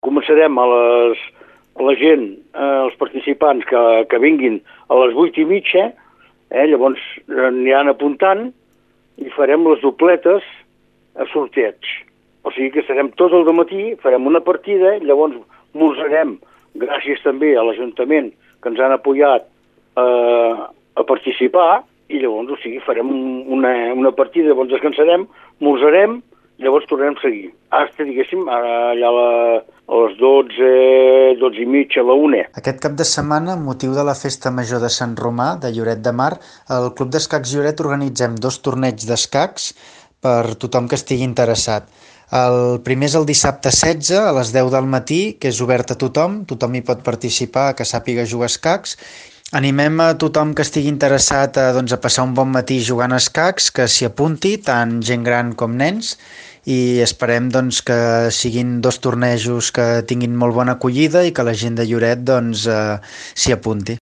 Començarem a la gent, els participants que vinguin a les 8:30, llavors aniran apuntant i farem les dobletes a sorteig. O sigui que estarem tot el dematí, farem una partida, llavors esmorzarem, gràcies també a l'Ajuntament que ens han apoyat a participar, i llavors, farem una partida, llavors descansarem, esmorzarem, llavors tornarem a seguir. Hasta, diguéssim, allà a les 12:30, a la 1. Aquest cap de setmana, amb motiu de la Festa Major de Sant Romà, de Lloret de Mar, al Club d'Escacs Lloret organitzem 2 torneigs d'escacs per tothom que estigui interessat. El primer és el dissabte 16 a les 10 del matí, que és obert a tothom hi pot participar, que sàpiga jugar a escacs. Animem a tothom que estigui interessat a passar un bon matí jugant a escacs, que s'hi apunti, tant gent gran com nens, i esperem que siguin 2 tornejos que tinguin molt bona acollida i que la gent de Lloret s'hi apunti.